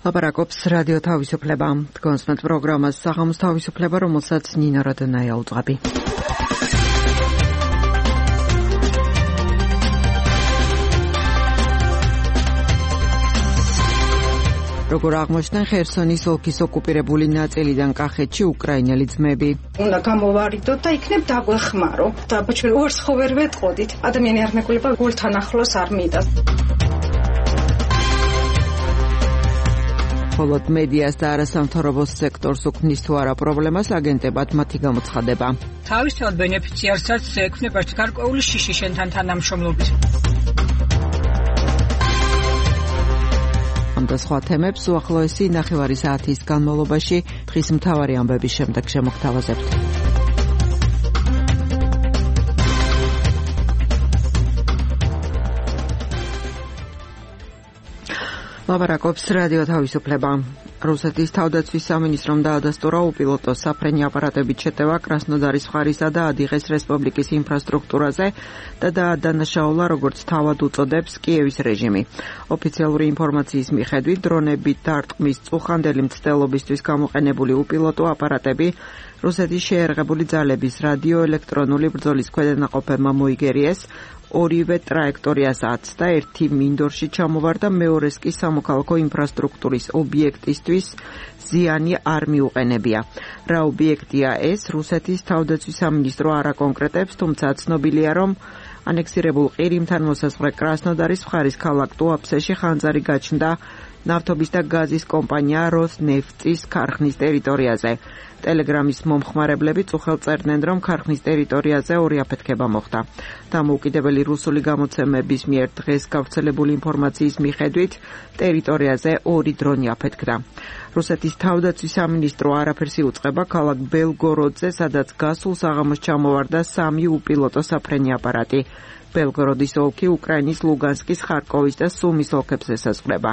ლაპარაკობს რადიო თავისუფლება. თქვენს პროგრამას საღამოს თავისუფლება, რომელსაც ნინა როდონაია უძღვები. როგორ აღმოჩნდნენ ხერსონის ოლქის ოკუპირებული ნაწილიდან კახეთში უკრაინელი ძმები. უნდა გამოვარიდოთ და იქნებ დაგვეხმარო. და ჩვენ უარს ხო ვერ ვეტყოდით. ადამიანი არ მეგულება გულთან ახლოს არ მიდას. მხოლოდ მედიას და არასამთავრობო სექტორს უქმნის თუ არა პრობლემას აგენტებად მათი გამოცხადება. თავისთავად ბენეფიციარსაც ექვნება გარკვეული შიში შენთან თანამშრომლობით. ამ და სხვა თემებს უახლოესი ნახევარი საათის განმავლობაში დღის მთავარი ამბების შემდეგ შემოგთავაზებთ. ლაპარაკობს რადიო თავისუფლება. რუსეთის თავდაცვის სამინისტრომ დაადასტურა უპილოტო საფრენი აპარატებით შეტევა კრასნოდარის მხარისა და ადიღეს რესპუბლიკის ინფრასტრუქტურაზე და დაადანაშაულა, როგორც თავად უწოდებს კიევის რეჟიმი. ოფიციალური ინფორმაციის მიხედვით, დრონებით დარტყმის წუხანდელი მცდელობისთვის გამოყენებული უპილოტო აპარატები რუსეთის შეერაღებული ძალების რადიოელექტრონული ბრძოლის ქვედანაყოფებმა მოიგერიეს, ორივე ტრაექტორიას აცდა, ერთი მინდორში ჩამოვარდა, მეორეს კი სამოქალაქო ინფრასტრუქტურის ობიექტისთვის ზიანი არ მიუყენებია. რა ობიექტია ეს? რუსეთის თავდაცვის სამინისტრო არ აკონკრეტებს, თუმცა ცნობილია, რომ ანექსირებულ ყირიმთან მოსაზღვრე კრასნოდარის მხარის ქალაქ ტუაფსეში ხანძარი გაჩნდა ნავთობის და გაზის კომპანია როსნეფტის ქარხნის ტერიტორიაზე. ტელეგრამის მომხმარებლები წუხელ წერდნენ, რომ ქარხნის ტერიტორიაზე ორი აფეთქება მოხდა. დამოუკიდებელი რუსული გამოცემების მიერ დღეს გავრცელებული ინფორმაციის მიხედვით, ტერიტორიაზე ორი დრონი აფეთქდა. რუსეთის თავდაცვის სამინისტრო არაფერს იუწყება ქალაქ ბელგოროდზე, სადაც გასულ საღამოს ჩამოვარდა 3 უპილოტო საფრენი აპარატი. ბელგოროდის ოლქი უკრაინის ლუგანსკის, ხარკოვის და სუმის ოლქებს ესაზღვრება.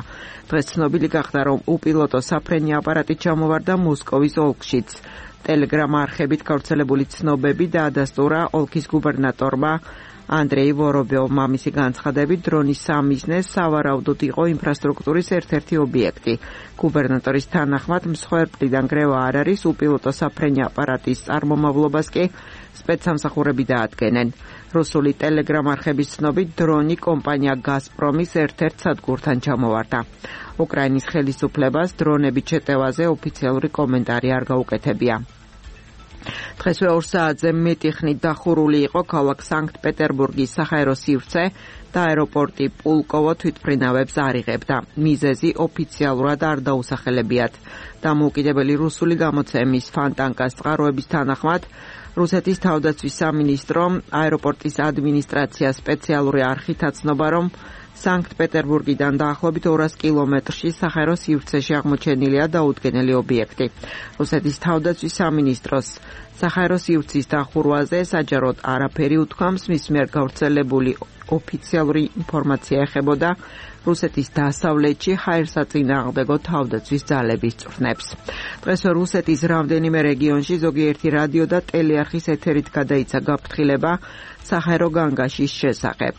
დღეს ცნობილი გახდა, რომ უპილოტო საფრენი აპარატი ჩამოვარდა მოსკოვის ოლქშიც. ტელეგრამ არხებით გავრცელებული ცნობები დაადასტურა ოლქის გუბერნატორმა ანდრეი ვორობიოვმა. მისი განცხადებით, დრონის სამიზნე სავარაუდოდ იყო ინფრასტრუქტურის ერთ-ერთი ობიექტი. გუბერნატორის თანახმად, მსხვერპლიდან გრევა არ არის, უპილოტო საფრენი აპარატის წარმომავლობას კი სპეცსამსახურები დაადგენენ. რუსული ტელეგრამ არხების ცნობით, დრონი კომპანია გაზპრომის ერთ-ერთ სადგურთან ჩამოვარდა. უკრაინის ხელისუფლებას დრონებით შეტევაზე ოფიციალური კომენტარი არ გაუკეთებია. დღესვე 2 საათზე მეტი ხნით დახურული იყო ქალაქ სანქტ-პეტერბურგის საჰაერო სივრცე და აეროპორტი პულკოვო თვითმფრინავებს არ იღებდა. მიზეზი ოფიციალურად არ დაუსახელებიათ. დამოუკიდებელი რუსული გამოცემის ფანტანკას წყაროების თანახმად, რუსეთის თავდაცვის სამინისტრომ აეროპორტის ადმინისტრაციას სპეციალური არხით აცნობა, რომ სანქტ-პეტერბურგიდან დაახლოებით 200 კილომეტრში საჰაერო სივრცეში აღმოჩენილია დაუდგენელი ობიექტი. რუსეთის თავდაცვის სამინისტროს საჰაერო სივრცის დახურვაზე საჯაროდ არაფერი უთქვამს, მის მიერ გავრცელებული ოფიციალური ინფორმაცია ეხებოდა რუსეთის დასავლეთში ჰაერსაწინააღმდეგო თავდაცვის ძალების წვრთნებს. დღესვე რუსეთის რამდენიმე რეგიონში ზოგიერთი რადიო და ტელეარხის ეთერით გადაიცა გაფრთხილება საჰაერო განგაშის შესახებ.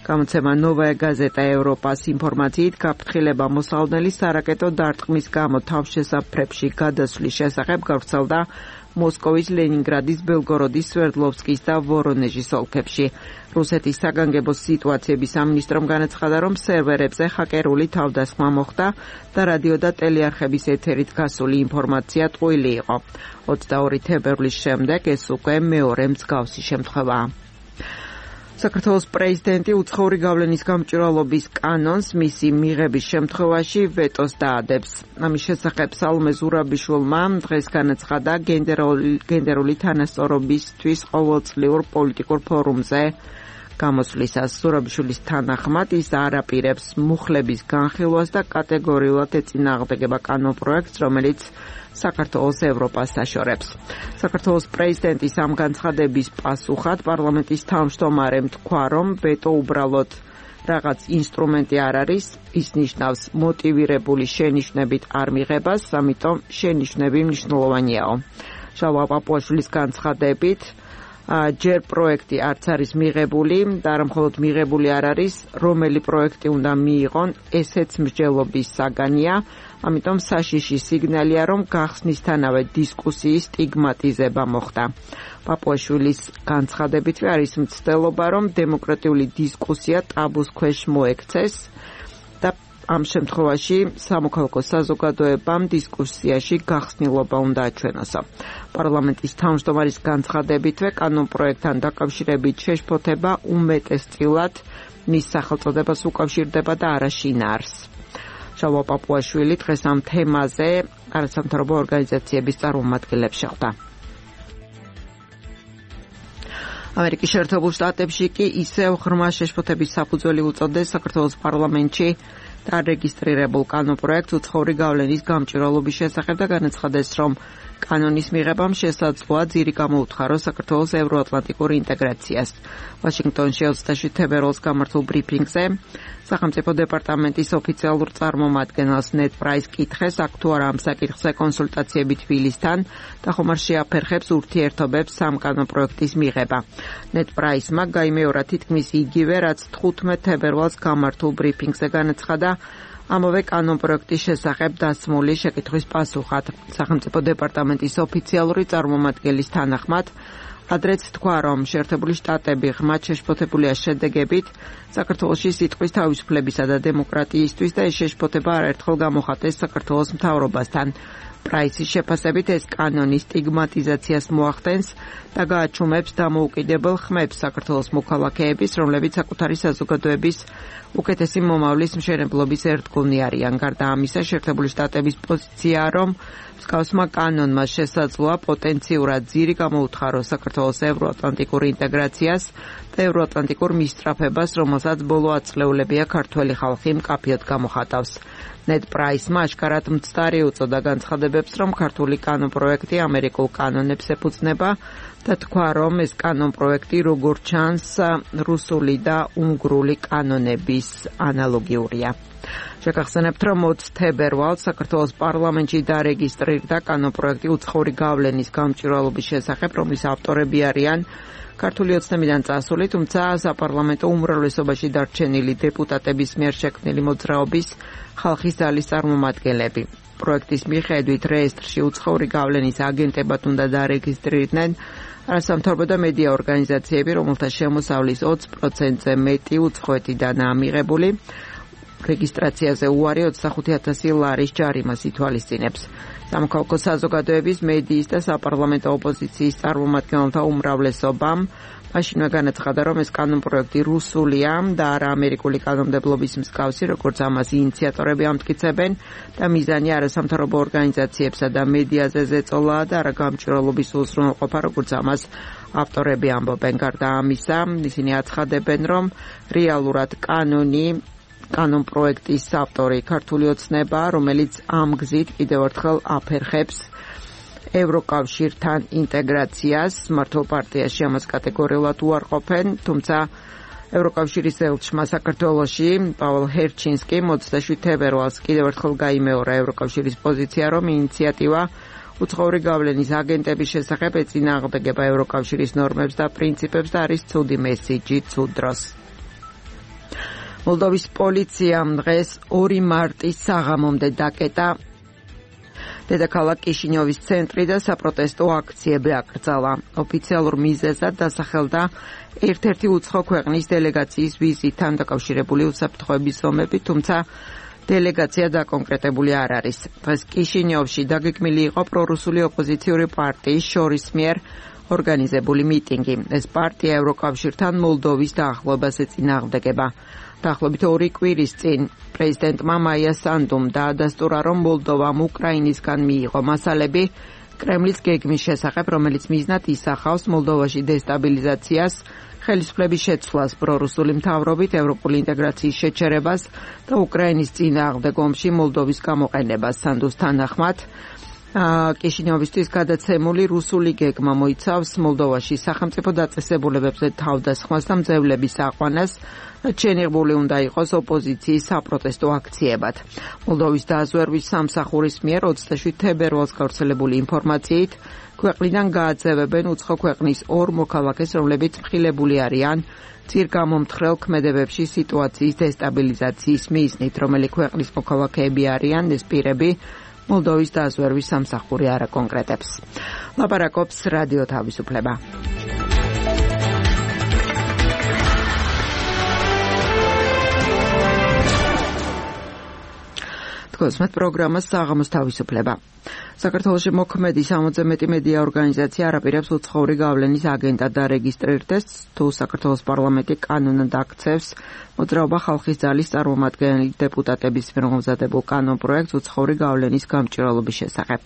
გამოცემა ნოვაია გაზეტა ევროპას ინფორმაციით, გაფრთხილება მოსალოდნელი სარაკეტო დარტყმის გამო თავშესაფრებში გადასვლის შესახებ გავრცელდა მოსკოვის, ლენინგრადის, ბელგოროდის, სვერდლოვსკის და ვორონეჟის ოლქებში. რუსეთის საგანგებო სიტუაციების სამინისტრომ განაცხადა, რომ სერვერებზე ჰაკერული თავდასხმა მოხდა და რადიო და ტელეარხების ეთერით გასული ინფორმაცია ტყუილი იყო. 22 თებერვლის შემდეგ ეს უკვე მეორე მსგავსი შემთხვევაა. საქართველოს პრეზიდენტი უცხოური გავლენის გამჭვირვალობის კანონს მისი მიღების შემთხვევაში ვეტოს დაადებს. ამის შესახებ სალომე ზურაბიშვილმა დღეს განაცხადა გენდერული თანასწორობისთვის ყოველწლიურ პოლიტიკურ ფორუმზე გამოსვლისას. ზურაბიშვილის თანახმად, ის არ აპირებს მუხლების განხილვას და კატეგორიულად ეწინააღმდეგება კანონპროექტს, რომელიც საქართველოს ევროპას აშორებს. საქართველოს პრეზიდენტის ამ განცხადების პასუხად პარლამენტის თავმჯდომარემ თქვა, რომ ვეტო უბრალოდ რაღაც ინსტრუმენტი არ არის, ის ნიშნავს მოტივირებული შენიშვნებით არ მიღებას, ამიტომ შენიშვნები მნიშვნელოვანიაო. შალვა პაპუაშვილის განცხადებით, ჯერ პროექტი არც არის მიღებული და არა მხოლოდ მიღებული არ არის, რომელი პროექტი უნდა მიიღონ, ესეც მსჯელობის საგანია, ამიტომ საშიში სიგნალია, რომ გახსნისთანავე დისკუსიის სტიგმატიზება მოხდა. პაპუაშვილის განცხადებითვე არის მცდელობა, რომ დემოკრატიული დისკუსია ტაბუს ქვეშ მოექცეს და ამ შემთხვევაში სამოქალაქო საზოგადოებამ დისკუსიაში გახსნილობა უნდა აჩვენოსო. პარლამენტის თავმჯდომარის განცხადებითვე კანონპროექტთან დაკავშირებით შეშფოთება უმეტესწილად მის სახელწოდებას უკავშირდება და არა შინაარსს. შალვა პაპუაშვილი დღეს ამ თემაზე არასამთავრობო ორგანიზაციების წარმომადგენლებს შეხვდა. ამერიკის შეერთებულ შტატებში კი ისევ ღრმა შეშფოთების საფუძველი უწოდეს საქართველოს პარლამენტში დარეგისტრირებულ კანონპროექტს უცხოური გავლენის გამჭვირვალობის შესახებ და განაცხადეს, რომ კანონის მიღებამ შესაძლოა ძირი გამოუთხაროს საქართველოს ევროატლანტიკურ ინტეგრაციას. ვაშინგტონში 27 თებერვალს გამართულ ბრიფინგზე სახელმწიფო დეპარტამენტის ოფიციალურ წარმომადგენელს ნედ პრაის კითხეს, აქ თუ არა ამ საკითხზე კონსულტაციები თბილისთან და ხომ არ შეაფერხებს ურთიერთობებს ამ კანონპროექტის მიღება. ნედ პრაისმა გაიმეორა თითქმის იგივე, რაც 15 თებერვალს გამართულ ბრიფინგზე განაცხადა ამავე კანონპროექტის შესახებ დასმული შეკითხვის პასუხად. სახელმწიფო დეპარტამენტის ოფიციალური წარმომადგენლის თანახმად ადრეც თქვა, რომ შეერთებული შტატები ღრმად შეშფოთებულია შედეგებით საქართველოში სიტყვის თავისუფლებისა და დემოკრატიისთვის და ეს შეშფოთება არაერთხელ გამოხატეს საქართველოს მთავრობასთან. პრაისის შეფასებით ეს კანონი სტიგმატიზაციას მოახდენს და გააჩუმებს დამოუკიდებელ ხმებს საქართველოს მოქალაქეების, რომლებიც საკუთარი საზოგადოების უკეთესი მომავლის მშენებლობის ერთგულნი არიან. გარდა ამისა, შეერთებული შტატების პოზიციაა, რომ მსგავსმა კანონმა შესაძლოა პოტენციურად ძირი გამოუთხაროს საქართველოს ევროატლანტიკურ ინტეგრაციას და ევროატლანტიკურ მისწრაფებას, რომელსაც ბოლო ათწლეულებია ქართველი ხალხი მკაფიოდ გამოხატავს. ნედ პრაისმა აშკარად მცდარი უწოდა განცხადებებს, რომ ქართული კანონპროექტი ამერიკულ კანონებს ეფუძნება და თქვა, რომ ეს კანონპროექტი როგორც ჩანს რუსული და უნგრული კანონების ანალოგიურია. შეგახსენებთ, რომ 20 თებერვალს საქართველოს პარლამენტში დარეგისტრირდა კანონპროექტი უცხოური გავლენის გამჭვირვალობის შესახებ, რომლის ავტორები არიან ქართული ოცნებიდან წასული, თუმცა საპარლამენტო უმრავლესობაში დარჩენილი დეპუტატების მიერ შექმნილი მოძრაობის ხალხის ძალის წარმომადგენლები. პროექტის მიხედვით რეესტრში უცხოური გავლენის აგენტებად უნდა დარეგისტრირდნენ არასამთავრობო და მედია ორგანიზაციები, რომელთა შემოსავლის 20%-ზე მეტი უცხოეთიდანაა მიღებული. რეგისტრაციაზე უარი 25,000 ლარის ჯარიმას ითვალისწინებს. სამოქალაქო საზოგადოების, მედიის და საპარლამენტო ოპოზიციის წარმომადგენელთა უმრავლესობამ მაშინვე განაცხადა, რომ ეს კანონპროექტი რუსულია და არა ამერიკული კანონმდებლობის მსგავსი, როგორც ამას ინიციატორები ამტკიცებენ და მიზანი არასამთავრობო ორგანიზაციებსა და მედიაზე ზეწოლაა და არა გამჭვირვალობის უზრუნველყოფა, როგორც ამას ავტორები ამბობენ. გარდა ამისა, ისინი აცხადებენ, რომ რეალურად კანონპროექტის ავტორი ქართული ოცნება, რომელიც ამ გზით კიდევ ერთხელ აფერხებს ევროკავშირთან ინტეგრაციას. მართლ პარტიაში ამას კატეგორიულად უარყოფენ, თუმცა ევროკავშირის ელჩმა საქართველოში პაველო ჰერჩინსკიმ 27 თებერვალს კიდევ ერთხელ გაიმეორა ევროკავშირის პოზიცია, რომ ინიციატივა უცხოური გავლენის აგენტების შესახებ ეწინააღმდეგება ევროკავშირის ნორმებს და პრინციპებს და არის ცუდი მესიჯი ცუდ დროს. მოლდოვის პოლიციამ დღეს 2 მარტის საღამომდე დაკეტა დედაქალაქ კიშინიოვის ცენტრი და საპროტესტო აქციები აკრძალა. ოფიციალურ მიზეზად დასახელდა ერთ-ერთი უცხო ქვეყნის დელეგაციის ვიზიტთან დაკავშირებული უსაფრთხოების ზომები, თუმცა დელეგაცია დაკონკრეტებული არ არის. დღეს კიშინიოვში დაგეგმილი იყო პრორუსული ოპოზიციური პარტიის შორის მიერ ორგანიზებული მიტინგი. ეს პარტია ევროკავშირთან მოლდოვის დაახლოებას ეწინააღმდეგება. დაახლოებით 2 კვირის წინ პრეზიდენტმა მაია სანდუმ დაადასტურა, რომ მოლდოვამ უკრაინისგან მიიღო მასალები კრემლის გეგმის შესახებ, რომელიც მიზნად ისახავს მოლდოვაში დესტაბილიზაციას, ხელისუფლების შეცვლას პრორუსული მთავრობით, ევროპული ინტეგრაციის შეჩერებას და უკრაინის წინააღმდეგ ომში მოლდოვის გამოყენებას. სანდუს თანახმად კიშინიოვისთვის გადაცემული რუსული გეგმა მოიცავს მოლდოვაში სახელმწიფო დაწესებულებებზე თავდასხმას და მძევლების აყვანას, ჩენიღებული უნდა იყოს ოპოზიციის საპროტესტო აქციებად. მოლდოვის დაზვერვის სამსახურის მიერ 27 თებერვალს გავრცელებული ინფორმაციით ქვეყნიდან გააძევებენ უცხო ქვეყნის ორ მოქალაქეს, რომლებიც მხილებული არიან წირგამომთხრელ ქმედებებში სიტუაციის დესტაბილიზაციის მიზნით, რომელი ქვეყნის მოქალაქეები არიან ეს პირები, მოლდოვის დაზვერვის სამსახური არ აკონკრეტებს. ლაპარაკობს რადიო თავისუფლება. თქოსმეთ პროგრამას საღამოს თავისუფლება. საქართველოში მოქმედი 60-ზე მეტი მედია ორგანიზაცია არაპირებს უცხოური გავლენის აგენტად დარეგისტრირდეს, თუ საქართველოს პარლამენტი კანონად აქცევს მოძრაობა ხალხის ძალის წარმომადგენელი დეპუტატების მიერ მომზადებულ კანონპროექტს უცხოური გავლენის გამჭვირვალობის შესახებ.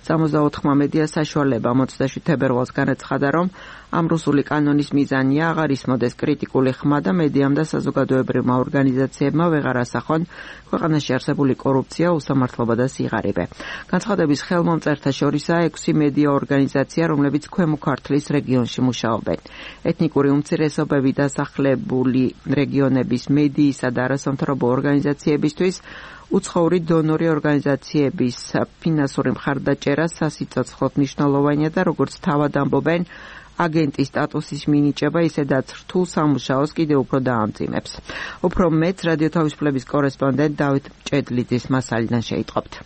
64-მა მედია საშუალება 27 თებერვალს განაცხადა, რომ ამ რუსული კანონის მიზანია აღარ ისმოდეს კრიტიკული ხმა და მედიამ და საზოგადოებრივმა ორგანიზაციებმა ვეღარ ასახონ ქვეყანაში არსებული კორუფცია, უსამართლობა და სიღარიბე. განცხადების ხელმომწერთა შორისაა 6 მედია ორგანიზაცია, რომლებიც ქვემო ქართლის რეგიონში მუშაობენ. ეთნიკური უმცირესობები დასახლებული რეგიონების მედიისა და არასამთავრობო ორგანიზაციებისთვის უცხოური დონორი ორგანიზაციების ფინანსური მხარდაჭერა სასიცოცხლოდ მნიშვნელოვანია და როგორც თავად ამბობენ, აგენტის სტატუსის მინიჭება ისედაც რთულ სამუშაოს კიდევ უფრო დაამძიმებს. უფრო მეც რადიო თავისუფლების კორესპონდენტ დავით ჭედლიძის მასალიდან შეიტყობთ.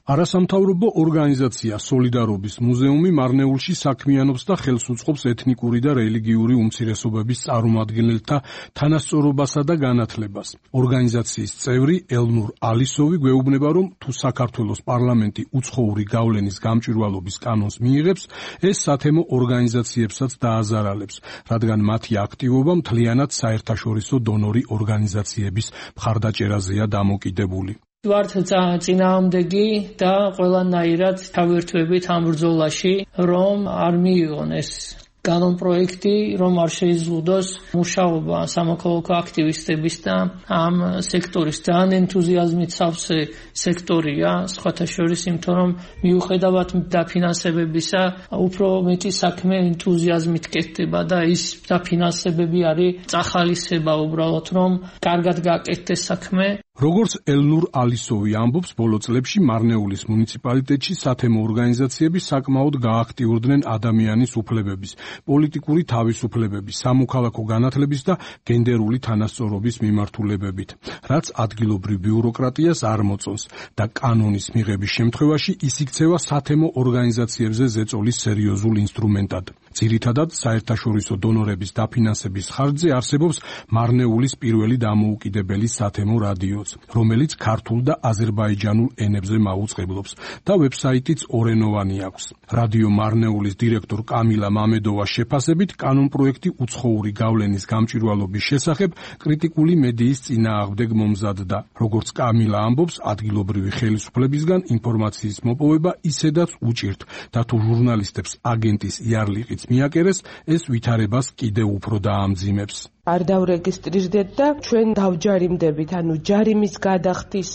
არასამთავრობო ორგანიზაცია სოლიდარობის მუზეუმი მარნეულში საქმიანობს და ხელს უწყობს ეთნიკური და რელიგიური უმცირესობების წარმომადგენელთა თანასწორობასა და განათლებას. ორგანიზაციის წევრი ელნურ ალისოვი გვეუბნება, რომ თუ საქართველოს პარლამენტი უცხოური გავლენის გამჭვირვალობის კანონს მიიღებს, ეს სათემო ორგანიზაციებსაც დააზარალებს, რადგან მათი აქტივობა მთლიანად საერთაშორისო დონორი ორგანიზაციების მხარდაჭერაზეა დამოკიდებული. ვართ წინააღმდეგი და ყველანაირად თავერთვებით ამ ბრძოლაში, რომ არ მიიღონ ეს კანონპროექტი, რომ არ შეიზღუდოს მუშაობა სამოქალაქო აქტივისტების და ამ სექტორის ძალიან ენთუზიაზმით სავსე სექტორია, სხვათა შორის, იმიტომ რომ მიუხედავად დაფინანსებებისა, უფრო მეტი საქმე ენთუზიაზმით კეთდება და ის დაფინანსებები არის წახალისება უბრალოდ, რომ კარგად გააკეთდეს საქმე. როგორც ელნურ ალისოვი ამბობს, ბოლო წლებში მარნეულის მუნიციპალიტეტში სათემო ორგანიზაციები საკმაოდ გააქტიურდნენ ადამიანის უფლებების, პოლიტიკური თავისუფლებების, სამოქალაქო განათლების და გენდერული თანასწორობის მიმართულებებით, რაც ადგილობრივ ბიუროკრატიას არ მოწონს და კანონის მიღების შემთხვევაში ის იქცევა სათემო ორგანიზაციებზე ზეწოლის სერიოზულ ინსტრუმენტად. ძირითადად საერთაშორისო დონორების დაფინანსების ხარჯზე არსებობს მარნეულის პირველი დამოუკიდებელი სათემო რადიოც, რომელიც ქართულ და აზერბაიჯანულ ენებზე მაუწყებლობს და ვებსაიტიც ორენოვანი აქვს. რადიო მარნეულის დირექტორ კამილა მამედოვას შეფასებით, კანონპროექტი უცხოური გავლენის გამჭვირვალობის შესახებ კრიტიკული მედიის წინააღმდეგ მომზადდა. როგორც კამილა ამბობს, ადგილობრივი ხელისუფლებისგან ინფორმაციის მოპოვება ისედაც უჭირთ და თუ ჟურნალისტებს აგენტის იარლიყიც მიაკერეს, ეს ვითარებას კიდევ უფრო დაამძიმებს. არ დავრეგისტრირდეთ და ჩვენ დავჯარიმდებით, ანუ ჯარიმის გადახდის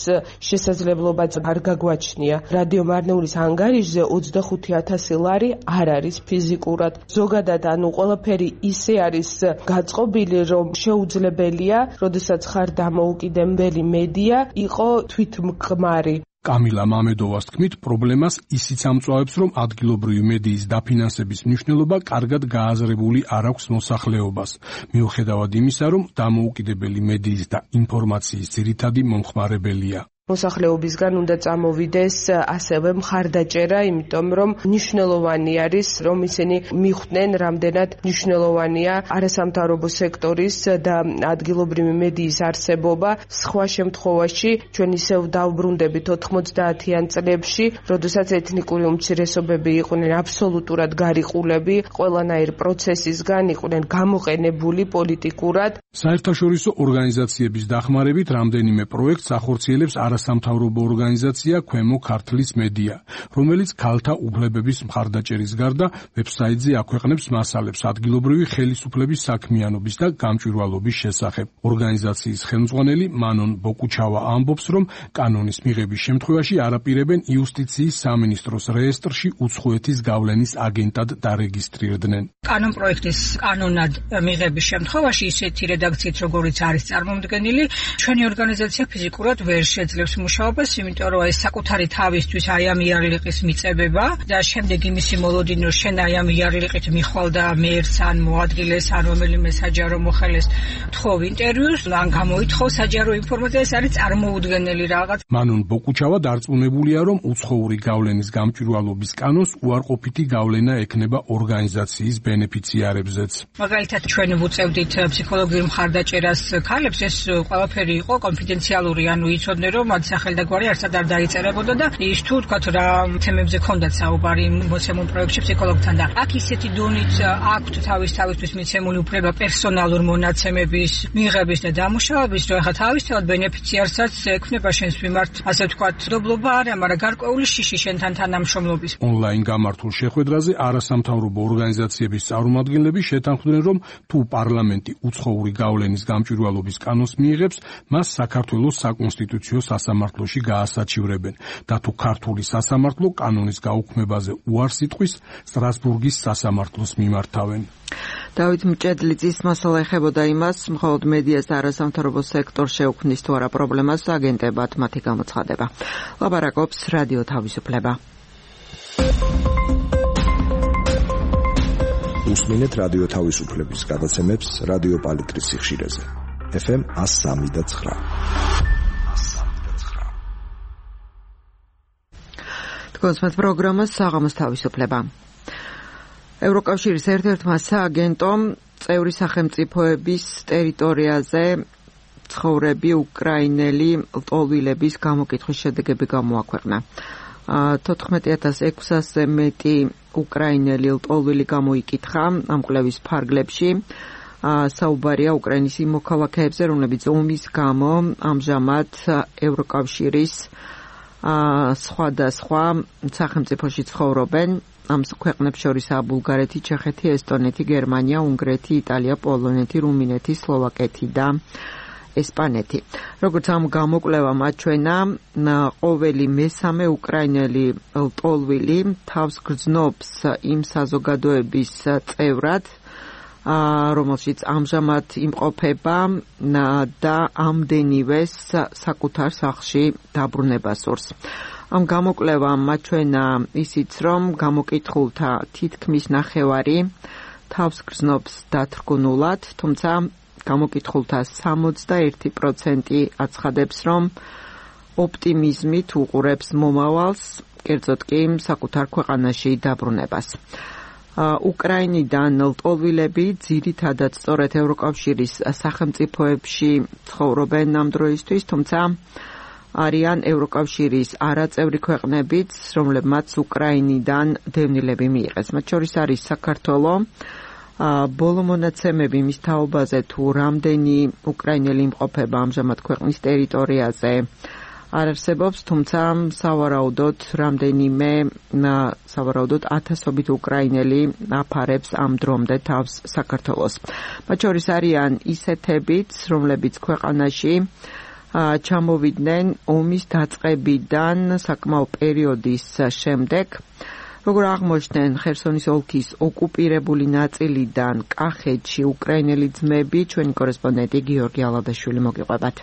შესაძლებლობაც არ გაგვაჩნია. რადიო მარნეულის ანგარიშზე 25,000 ლარი არ არის ფიზიკურად. ზოგადად, ანუ ყველაფერი ისე არის გაწყობილი, რომ შეუძლებელია, როდესაც ხარ დამოუკიდებელი მედია, იყო თვითმკმარი. კამილა მამედოვას თქმით, პრობლემას ისიც ამწვავებს, რომ ადგილობრივი მედიის დაფინანსების მნიშვნელობა კარგად გააზრებული არ აქვს მოსახლეობას, მიუხედავად იმისა, რომ დამოუკიდებელი მედიის და ინფორმაციის ძირითადი მომხმარებელია. მოსახლეობისგან უნდა წამოვიდეს ასევე მხარდაჭერა, იმიტომ რომ მნიშვნელოვანი არის, რომ ისინი მიხვდნენ, რამდენად მნიშვნელოვანია არასამთავრობო სექტორის და ადგილობრივი მედიის არსებობა. სხვა შემთხვევაში ჩვენ ისევ დავბრუნდებით 90-იან წლებში, როდესაც ეთნიკური უმცირესობები იყვნენ აბსოლუტურად გარიყულები, ყველანაირ პროცესისგან იყვნენ გამოყენებული პოლიტიკურად. საერთაშორისო ორგანიზაციების დახმარებით რამდენიმე პროექტს ახორციელებს არასამთავრობო ორგანიზაცია ქვემო ქართლის მედია, რომელიც ქალთა უფლებების მხარდაჭერის გარდა ვებსაიტზე აქვეყნებს მასალებს ადგილობრივი ხელისუფლების საქმიანობის და გამჭვირვალობის შესახებ. ორგანიზაციის ხელმძღვანელი მანონ ბოკუჩავა ამბობს, რომ კანონის მიღების შემთხვევაში არაპირებენ იუსტიციის სამინისტროს რეესტრში უცხოეთის გავლენის აგენტად დარეგისტრირდნენ. კანონპროექტის კანონად მიღების შემთხვევაში ისეთი რედაქციით, როგორიც არის წარმომდგენილი, ჩვენი ორგანიზაცია ფიზიკურად ვერ შეძლებს აკონტროლებს მუშაობას, იმიტომ რომ ეს საკუთარი თავისთვის აი ამ იარლიყის მიწებება და შემდეგ იმისი მოლოდინო შენ აი ამ იარლიყით მიხვალ და მეერს ან მოადგილეს ან რომელიმე საჯარო მოხელეს თხოვ ინტერვიუს, ან გამოითხოვ საჯარო ინფორმაცია, ეს არის წარმოუდგენელი რაღაც. მანონ ბოკუჩავა დარწმუნებულია, რომ უცხოური გავლენის გამჭვირვალობის კანონს უარყოფითი გავლენა ექნება ორგანიზაციის ბენეფიციარებზეც. მაგალითად ჩვენ ვუწევდით ფსიქოლოგიურ მხარდაჭერას ქალებს, ეს ყველაფერი იყო კონფიდენციალური, ანუ იცოდნენ რომ მათ სახელდაგვარი არცად არ დაიწერებოდა და ის თუ თქვათ რა თემებზე ქონდათ საუბარი მოცემულ პროექტში ფსიქოლოგთან და აქ ისეთი დონით აქვთ თავისთვის მიცემული უფლება პერსონალურ მონაცემების მიღების და დამუშავების, რომ ახლა თავისთავად ბენეფიციარსაც ექნება შენს მიმართ, ასე ვთქვათ, დობლობა არა, მაგრამ გარკვეული შიში შენთან თანამშრომლობის. ონლაინ გამართულ შეხვედრაზე არასამთავრობო ორგანიზაციების წარმომადგენლები შეთანხმდნენ, რომ თუ პარლამენტი უცხოური გავლენის გამჭვირვალობის კანონს მიიღებს, მას საქართველოს საკონსტიტუციო სასამართლოში გაასაჩივრებენ და თუ ქართული სასამართლო კანონის გაუქმებაზე უარს იტყვის, სტრასბურგის სასამართლოს მიმართავენ. დავით მჭედლიძის მასალა ეხებოდა იმას, მხოლოდ მედიას და არასამთავრობო სექტორს შეუქმნის თუ არა პრობლემას აგენტებად მათი გამოცხადება. ლაპარაკობს რადიო თავისუფლება. უსმინეთ რადიო თავისუფლების გადაცემებს რადიო პალიტრის სიხშირეზე. FM 103.9. თქვენს პროგრამას საღამოს თავისუფლება. ევროკავშირის ერთ-ერთმა სააგენტომ წევრი სახელმწიფოების ტერიტორიაზე ცხოვრები უკრაინელი ლტოლვილების გამოკითხვის შედეგები გამოაქვეყნა. 14,600-ზე მეტი უკრაინელი ლტოლვილი გამოიკითხა ამ კვლევის ფარგლებში. საუბარია უკრაინის იმ მოქალაქეებზე, რომლებიც ომის გამო ამჟამად ევროკავშირის სხვადასხვა სახელმწიფოში ცხოვრობენ. ამ ქვეყნებს შორისაა ბულგარეთი, ჩეხეთი, ესტონეთი, გერმანია, უნგრეთი, იტალია, პოლონეთი, რუმინეთი, სლოვაკეთი და ესპანეთი. როგორც ამ გამოკვლევამ აჩვენა, ყოველი მესამე უკრაინელი ლტოლვილი თავს გრძნობს იმ საზოგადოების წევრად, რომელშიც ამჟამად იმყოფება და ამდენივეს საკუთარ სახლში დაბრუნება სურს. ამ გამოკვლევამ აჩვენა ისიც, რომ გამოკითხულთა თითქმის ნახევარი თავს გრძნობს დათრგუნულად, თუმცა გამოკითხულთა 61% აცხადებს, რომ ოპტიმიზმით უყურებს მომავალს, კერძოდ კი საკუთარ ქვეყანაში დაბრუნებას. უკრაინიდან ლტოლვილები ძირითადად სწორედ ევროკავშირის სახელმწიფოებში ცხოვრობენ ამ დროისთვის, თუმცა არიან ევროკავშირის არაწევრი ქვეყნებიც, რომლებმაც უკრაინიდან დევნილები მიიღეს. მათ შორის არის საქართველო. ბოლო მონაცემები მის თაობაზე თუ რამდენი უკრაინელი იმყოფება ამჟამად ქვეყნის ტერიტორიაზე არ არსებობს, თუმცა სავარაუდოდ ათასობით უკრაინელი აფარებს ამ დრომდე თავს საქართველოს. მათ შორის არიან ისეთებიც, რომლებიც ქვეყანაში ჩამოვიდნენ ომის დაწყებიდან საკმაო პერიოდის შემდეგ. როგორ აღმოჩნდნენ ხერსონის ოლქის ოკუპირებული ნაწილიდან კახეთში უკრაინელი ძმები, ჩვენი კორესპონდენტი გიორგი ალადაშვილი მოგიყვებათ.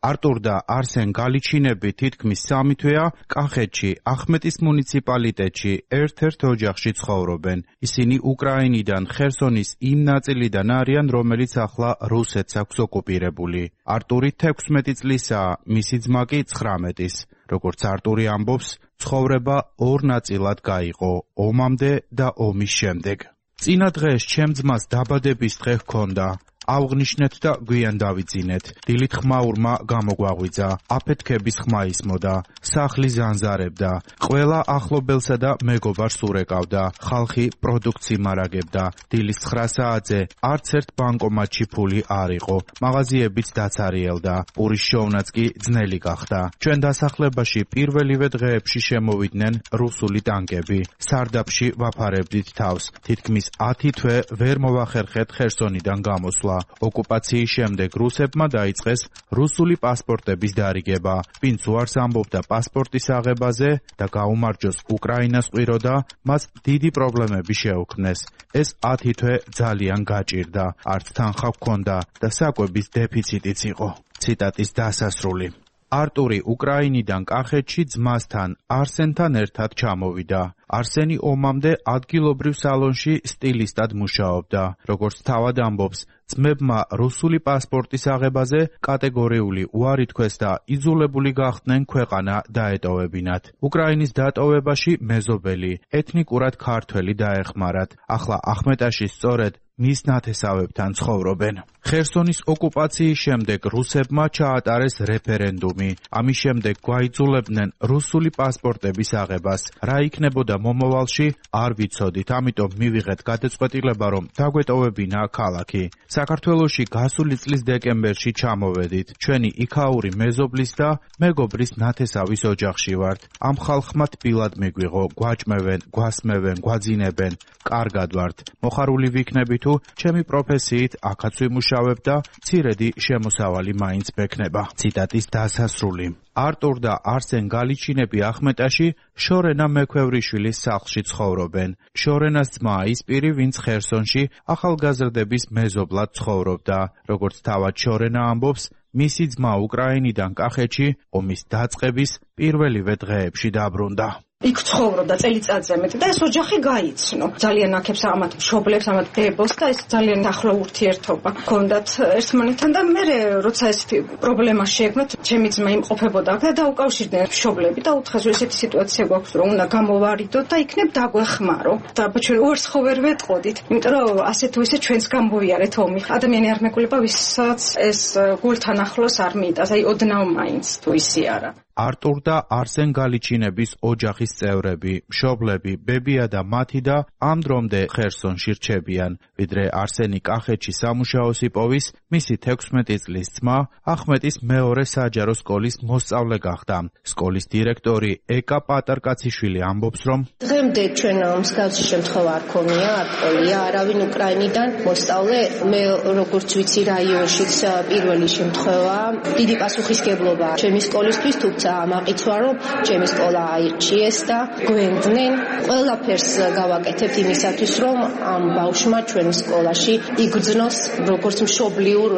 არტურ და არსენ გალიჩინები თითქმის 3 თვეა კახეთში, ახმეტის მუნიციპალიტეტში ერთ-ერთ ოჯახში ცხოვრობენ. ისინი უკრაინიდან ხერსონის იმ ნაწილიდან არიან, რომელიც ახლა რუსეთს აქვს ოკუპირებული. არტური 16 წლისაა, მისი ძმა კი 19-ის. როგორც არტური ამბობს, ცხოვრება ორ ნაწილად გაიყო, ომამდე და ომის შემდეგ. წინა დღეს ჩემ ძმას დაბადების დღე ჰქონდა. ავღნიშნეთ და გვიან დავიძინეთ. დილით ხმაურმა გამოგვაღვიძა. აფეთქების ხმა ისმოდა. სახლი ზანზარებდა. ყველა ახლობელსა და მეგობარს ურეკავდა. ხალხი პროდუქცი მარაგებდა. დილის 9 საათზე არც ერთ ბანკომატში ფული არ იყო. მაღაზიებიც დაცარიელდა. პურის შოვნაც კი ძნელი გახდა. ჩვენ დასახლებაში პირველივე დღეებში შემოვიდნენ რუსული ტანკები. სარდაფში ვაფარებდით თავს. თითქმის 10 თვე ვერ მოვახერხეთ ხერსონიდან გამოსვლა. ოკუპაციის შემდეგ რუსებმა დაიწყეს რუსული პასპორტების დარიგება. ვინც უარს ამბობდა პასპორტის აღებაზე და გაუმარჯოს უკრაინას ყვიროდა, მას დიდი პრობლემები შეუქმნეს. ეს 10 თვე ძალიან გაჭირდა. არც თანხა ჰქონდა და საკვების დეფიციტიც იყო. ციტატის დასასრული. არტური უკრაინიდან კახეთში ძმასთან არსენთან ერთად ჩამოვიდა. არსენი ომამდე ადგილობრივ სალონში სტილისტად მუშაობდა. როგორც თავად ამბობს, ძმებმა რუსული პასპორტის აღებაზე კატეგორიული უარი თქვეს და იძულებული გახდნენ ქვეყანა დაეტოვებინათ. უკრაინის დატოვებაში მეზობელი, ეთნიკურად ქართველი დაეხმარათ. ახლა ახმეტაში სწორედ მის ნათესავებთან ცხოვრობენ. ხერსონის ოკუპაციის შემდეგ რუსებმა ჩაატარეს რეფერენდუმი. ამის შემდეგ გვაიძულებდნენ რუსული პასპორტების აღებას. რა იქნებოდა მომავალში, არ ვიცოდით, ამიტომ მივიღეთ გადაწყვეტილება, რომ დაგვეტოვებინა ქალაქი. საქართველოში გასული წლის დეკემბერში ჩამოვედით. ჩვენი იქაური მეზობლის და მეგობრის ნათესავის ოჯახში ვართ. ამ ხალხმა თბილად მიგვიღო, გვაჭმევენ, გვასმევენ, გვაძინებენ. კარგად ვართ. მოხარული ვიქნებით თუ ჩემი პროფესიით აქაც ვიმუშავებ და მცირედი შემოსავალი მაინც მექნება. ციტატის დასასრული. არტურ და არსენ გალიჩინები ახმეტაში შორენა მექვევრიშვილის სახლში ცხოვრობენ. შორენას ძმა ის პირი, ვინც ხერსონში ახალგაზრდების მეზობლად ცხოვრობდა. როგორც თავად შორენა ამბობს, მისი ძმა უკრაინიდან კახეთში ომის დაწყების პირველივე დღეებში დაბრუნდა. იქ ცხოვრობდა წელიწადზე მეტი და ეს ოჯახი გაიცნო. ძალიან აქებს ამათ მშობლებს, ამათ დებოს და ეს ძალიან ახლო ურთიერთობა ჰქონდათ ერთმანეთთან და მე როცა ესეთი პრობლემა შეექმნათ, ჩემი ძმა იმყოფებოდა აქ და დაუკავშირდნენ მშობლები და უთხრეს, რომ ესეთი სიტუაცია გვაქვს, რომ უნდა გამოვარიდოთ და იქნებ დაგვეხმარო. და ჩვენ უარს ხო ვერ ვეტყოდით, იმიტომ რომ ასე თუ ისე ჩვენს გამოვიარეთ ომი. ადამიანი არ მეკვლება, ვისაც ეს გულთან ახლოს არ მიიტანს, აი ოდნავ მაინც თუ ისე არა. არტურ და არსენ გალიჩინების ოჯახის წევრები, მშობლები, ბებია და მათი და ამ დრომდე ხერსონში რჩებიან. ვიდრე არსენი კახეთში სამუშაოს იპოვის, მისი 16 წლის ძმა ახმეტის მეორე საჯარო სკოლის მოსწავლე გახდა. სკოლის დირექტორი ეკა პატარკაციშვილი ამბობს, რომ დღემდე ჩვენ მსგავსი შემთხვევა არ ქონია, არ ყოლია არავინ უკრაინიდან მოსწავლე. მე როგორც ვიცი რაიონშიც პირველი შემთხვევა. დიდი პასუხისგებლობა ჩემი სკოლისთვის, თუმცა ამაყიცვა, რომ ჩემი სკოლა აირჩიეს და გვენდნენ. ყველაფერს გავაკეთებთ იმისათვის, რომ ამ ბავშვმა ჩვენ სკოლაში იგრძნოს როგორც მშობლიურ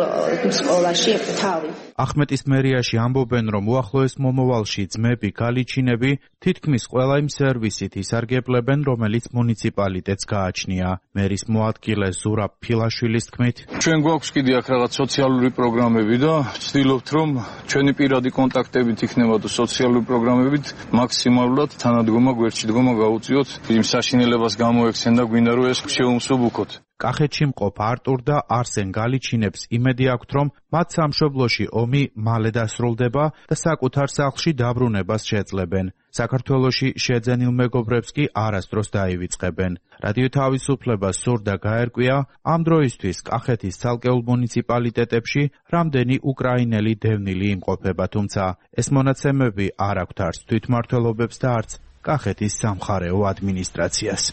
სკოლაში თავი. ახმეტის მერიაში ამბობენ, რომ უახლოეს მომავალში ძმები გალიჩინები თითქმის ყველა იმ სერვისით ისარგებლებენ, რომელიც მუნიციპალიტეტს გააჩნია. მერის მოადგილე ზურაბ ფილაშვილის თქმით, ჩვენ გვაქვს კიდე აქ რაღაც სოციალური პროგრამები და ვცდილობთ, რომ ჩვენი პირადი კონტაქტებით იქნება და სოციალური პროგრამებით მაქსიმალურად თანადგომა გვერდში დგომა გაუწიოთ, იმ საშინელებას გამოექცენ და გვინდა რომ ეს შევუმსუბუქოთ. კახეთში მყოფ არტურ და არსენ გალიჩინებს იმედი აქვთ, რომ მათ სამშობლოში ომი მალე დასრულდება და საკუთარ სახლში დაბრუნებას შეძლებენ. საქართველოში შეძენილ მეგობრებს კი არასდროს დაივიწყებენ. რადიო თავისუფლებას სურდა გაერკვია ამ დროისთვის კახეთის ცალკეულ მუნიციპალიტეტებში რამდენი უკრაინელი დევნილი იმყოფება, თუმცა ეს მონაცემები არ აქვთ არც თვითმმართველობებს და არც კახეთის სამხარეო ადმინისტრაციას.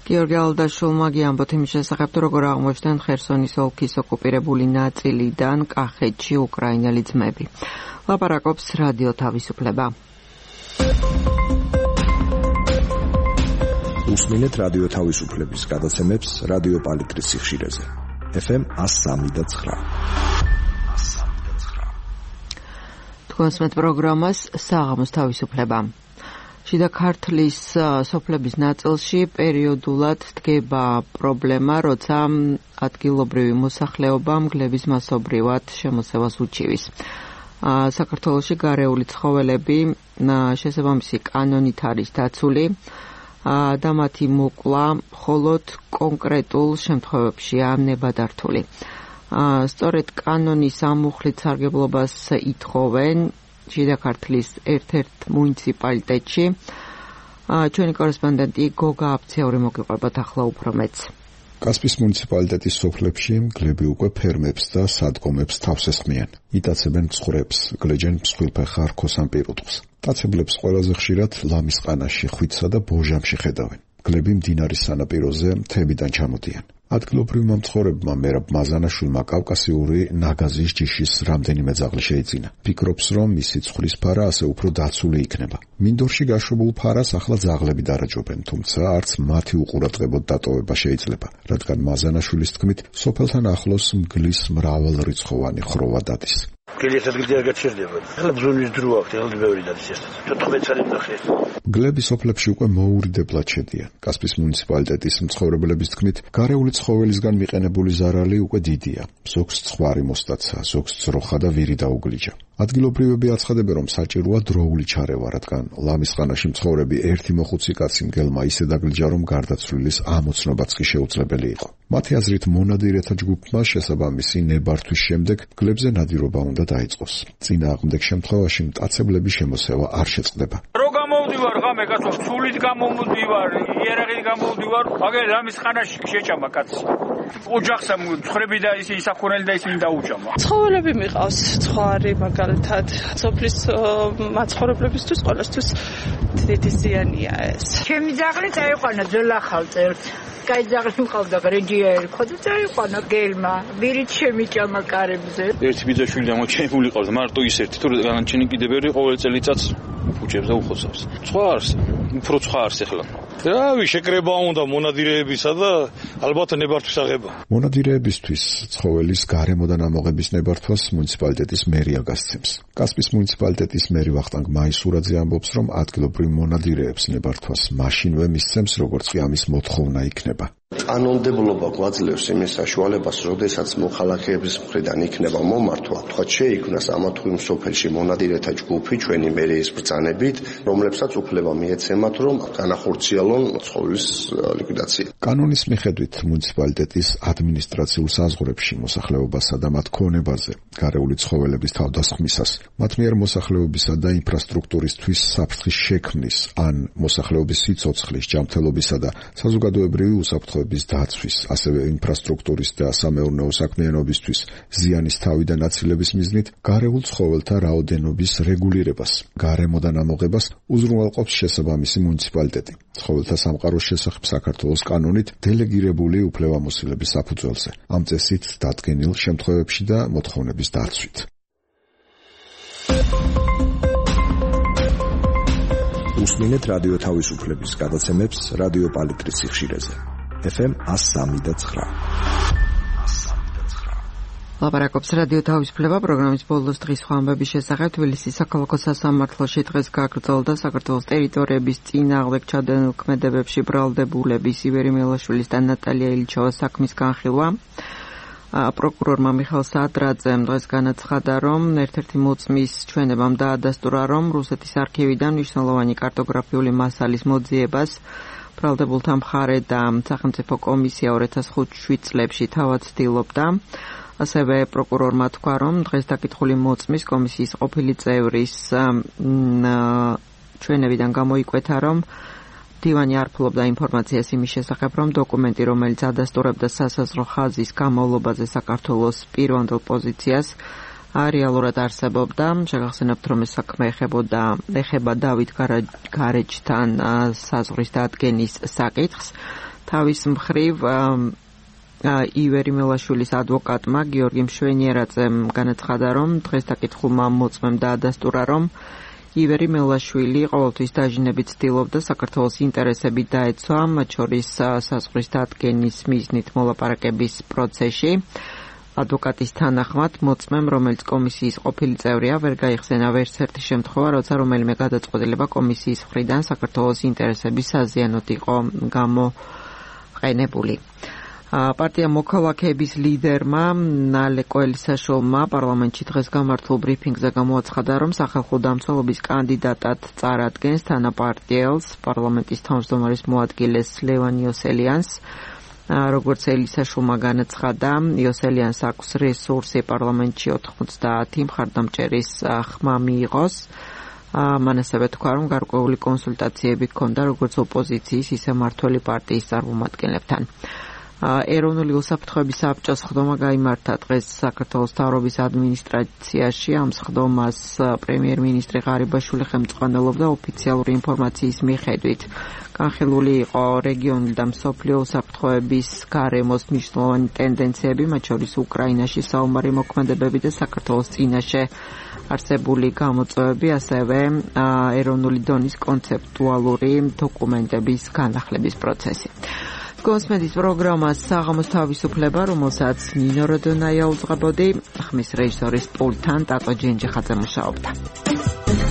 გიორგი ალდაშულმა გიამბოთ იმის შესახებ, როგორ აღმოჩნდნენ ხერსონის ოლქის ოკუპირებული ნაწილიდან კახეთში უკრაინელი ძმები. ლაპარაკობს რადიო თავისუფლება. უსმინეთ რადიო თავისუფლების გადაცემებს რადიო პალიტრის სიხშირეზე. FM 103.9. თქვენს მეტ პროგრამას საღამოს თავისუფლება. შიდა ქართლის სოფლების ნაწილში პერიოდულად დგება პრობლემა, როცა ადგილობრივი მოსახლეობა მგლების მასობრივად შემოსევას უჩივის. საქართველოში გარეული ცხოველები შესაბამისი კანონით არის დაცული და მათი მოკლა მხოლოდ კონკრეტულ შემთხვევებშია ნებადართული. სწორედ კანონის ამუხლით სარგებლობას ითხოვენ შიდა ქართლის ერთ-ერთ მუნიციპალიტეტში. ჩვენი კორესპონდენტი გოგა აფციური მოგიყვებათ ახლა უფრო მეც. კასპის მუნიციპალიტეტის სოფლებში მგლები უკვე ფერმებს და სადგომებს თავს ესხმიან. იტაცებენ მცხრებს, გლეჯენ მსხვილფეხა რქოსან პირუტყვს. ტაცებლებს ყველაზე ხშირად ლამის ყანაში, ხვიცსა და ბოჟამში ხედავენ. მგლები მდინარის სანაპიროზე მთებიდან ჩამოდიან. ადგილობრივმა მცხოვრებმა მერაბ მაზანაშვილმა კავკასიური ნაგაზის ჯიშის რამდენიმე ძაღლი შეიძინა. ფიქრობს, რომ მისი ცხრის ფარა ასე უფრო დაცული იქნება. მინდორში გაშვებულ ფარას ახლა ძაღლები დარაჯობენ, თუმცა არც მათი უყურადღებოდ დატოვება შეიძლება, რადგან მაზანაშვილის თქმით, სოფელთან ახლოს მგლის მრავალრიცხოვანი ხროვა დადის. გელიათ ადგილზე არ გაჩერდება. ახლა ბრძოლის დრო აქვს, ახლა ბევრი დადის ეს. 14 წელი ნახეს. გლების ოფლებში უკვე მოურიდებლად შედიან. კასპის მუნიციპალიტეტის მცხოვრებლების თქმით, გარეული ცხოველისგან მიყენებული ზარალი უკვე დიდია. ზოგს ცხვარი მოსტაცა, ზოგს ძროხა და ვირი დაუგლიჯა. ადგილობრივები აცხადებენ, რომ საჭიროა დროული ჩარევა, რადგან ლამის ხანაში მცხოვრები ერთი მოხუცი კაცი მგელმა ისე დაგლიჯა, რომ გარდაცვლილის ამოცნობაც კი შეუძლებელი იყო. მათი აზრით, მონადირეთა ჯგუფმა შესაბამისი ნებართვის შემდეგ გლებზე ნადირობა უნდა დაიწყოს. წინააღმდეგ შემთხვევაში მტაცებლების შემოსევა არ შეწყდება. რო გამოვდივარ ღამე კაცო, სულით გამოვდივარ, იერაღით გამოვდივარ, აგერ ლამის ხანაში შეჭამა კაცი. ოჯახს მცხრები და ისინი საქონელი და ისინი დაუჭამა. ცხოველები მიყავს, ცხვარი მაგალითად, სოფლის მაცხოვრებლებისთვის ყველასთვის დიდი ზიანია ეს. ჩემი ძაღლი წაიყვანა ძოლახალ წერს. კაი ძაღლი მყავდა გრეჯია ერქვა და წაიყვანა გელმა. ვირით შემიჭამა კარებზე. ერთი ბიძაშვილი ამოჩენილი ყავს, მარტო ის ერთი, თუ განაჩენი კიდე ბევრი ყოველ წელიწადს უჭებს და უხოცავს. სხვა არს, უფრო სხვა არს ახლა. რავი, შეკრება უნდა მონადირეებისა და ალბათ ნებართვის აღება. მონადირეებისთვის ცხოველის გარემოდან ამოღების ნებართვას მუნიციპალიტეტის მერია გასცემს. კასპის მუნიციპალიტეტის მერი ვახტანგ მაისურაძე ამბობს, რომ ადგილობრივ მონადირეებს ნებართვას მაშინვე მისცემს, როგორც კი ამის მოთხოვნა იქნება. კანონმდებლობა გვაძლევს იმის საშუალებას, როდესაც მოხალხეების მხრიდან იქნება მომართვა, თქვათ შეიქმნას ამა თუ იმ სოფელში მონადირეთა ჯგუფი ჩვენი მერიის ბრძანებით, რომლებსაც უფლება მიეცემათ, რომ განახორციელონ ცხოველის ლიკვიდაცია. კანონის მიხედვით მუნიციპალიტეტის ადმინისტრაციულ საზღვრებში მოსახლეობასა და მათ ქონებაზე გარეული ცხოველების თავდასხმისას, მათ მიერ მოსახლეობისა და ინფრასტრუქტურისთვის საფრთხის შექმნის ან მოსახლეობის სიცოცხლის, ჯანმრთელობისა და საზოგადოებრივი უსაფრთხოების დაცვის, ასევე ინფრასტრუქტურის და სამეურნეო საქმიანობისთვის ზიანის თავიდან აცილების მიზნით გარეულ ცხოველთა რაოდენობის რეგულირებას, გარემოდან ამოღებას უზრუნველყოფს შესაბამისი მუნიციპალიტეტი. ცხოველთა სამყაროს შესახებ საქართველოს კანონით დელეგირებული უფლებამოსილების საფუძველზე, ამ წესით დადგენილ შემთხვევებში და მოთხოვნების დაცვით. უსმინეთ რადიო თავისუფლების გადაცემებს რადიო პალიტრის სიხშირეზე. FM 103.9. ლაპარაკობს რადიო თავისუფლება პროგრამის ბოლოს დღის ხმამების შესახებ. თბილისის საქალაქო სასამართლოში დღეს გაგრძელდა საქართველოს ტერიტორიების წინააღმდეგ ჩადენილ ქმედებებში ბრალდებულების ივერი მელაშვილის და ნატალია ილჩოვას საქმის განხილვა. პროკურორმა მიხეილ სადრაძემ დღეს განაცხადა, რომ ერთ-ერთი მოწმის ჩვენებამ დაადასტურა, რომ რუსეთის არქივიდან მნიშვნელოვანი კარტოგრაფიული მასალის მოძიებას ბრალდებულთა მხარე და სახელმწიფო კომისია 2005 წლებში თავად ცდილობდა. ასევე პროკურორმა თქვა, რომ დღეს დაკითხული მოწმის კომისიის ყოფილი წევრის ჩვენებიდან გამოიკვეთა, რომ დივანი არ ფლობდა ინფორმაციას იმის შესახებ, რომ დოკუმენტი, რომელიც ადასტურებდა სასაზღვრო ხაზის გამოვლობაზე საქართველოს პირვანდელ პოზიციას, რეალურად არსებობდა. შეგახსენებთ, რომ ეს საქმე ეხება დავით გარეჯთან საზღვრის დადგენის საკითხს. თავის მხრივ ივერი მელაშვილის ადვოკატმა გიორგი მშვენიერაძემ განაცხადა, რომ დღეს დაკითხულმა მოწმემ დაადასტურა, რომ ივერი მელაშვილი ყოველთვის დაჟინებით ცდილობდა საქართველოს ინტერესები დაეცვა, მათ შორის საზღვრის დადგენის მიზნით მოლაპარაკების პროცესში. ადვოკატის თანახმად მოწმემ, რომელიც კომისიის ყოფილი წევრია, ვერ გაიხსენა ვერცერთი შემთხვევა, როცა რომელიმე გადაწყვეტილება კომისიის მხრიდან საქართველოს ინტერესების საზიანოდ იყო გამოყენებული. პარტია მოქალაქეების ლიდერმა ნალე კოელისაშვილმა პარლამენტში დღეს გამართულ ბრიფინგზე გამოაცხადა, რომ სახალხო დამცველობის კანდიდატად წარადგენს თანაპარტიელს, პარლამენტის თავმჯდომარის მოადგილეს ლევან იოსელიანს. როგორც ელისაშვილმა განაცხადა, იოსელიანს აქვს რესურსი პარლამენტში 90 მხარდამჭერის ხმა მიიღოს. მან ასევე თქვა, რომ გარკვეული კონსულტაციები ჰქონდა როგორც ოპოზიციის, ისე მმართველი პარტიის წარმომადგენლებთან. ეროვნული უსაფრთხოების საბჭოს სხდომა გაიმართა დღეს საქართველოს მთავრობის ადმინისტრაციაში. ამ სხდომას პრემიერ-მინისტრი ღარიბაშვილი ხელმძღვანელობდა. ოფიციალური ინფორმაციის მიხედვით განხილული იყო რეგიონული და მსოფლიო უსაფრთხოების გარემოს მნიშვნელოვანი ტენდენციები, მათ შორის უკრაინაში საომარი მოქმედებები და საქართველოს წინაშე არსებული გამოწვევები, ასევე ეროვნული დონის კონცეპტუალური დოკუმენტების განახლების პროცესი. გონსმედის პროგრამას საღამოს თავისუფლება, რომელსაც ნინო როდონაია უძღვებოდი, ხმის რეჟისორის პულტთან ტატო ჯენჯიხაძე მუშაობდა.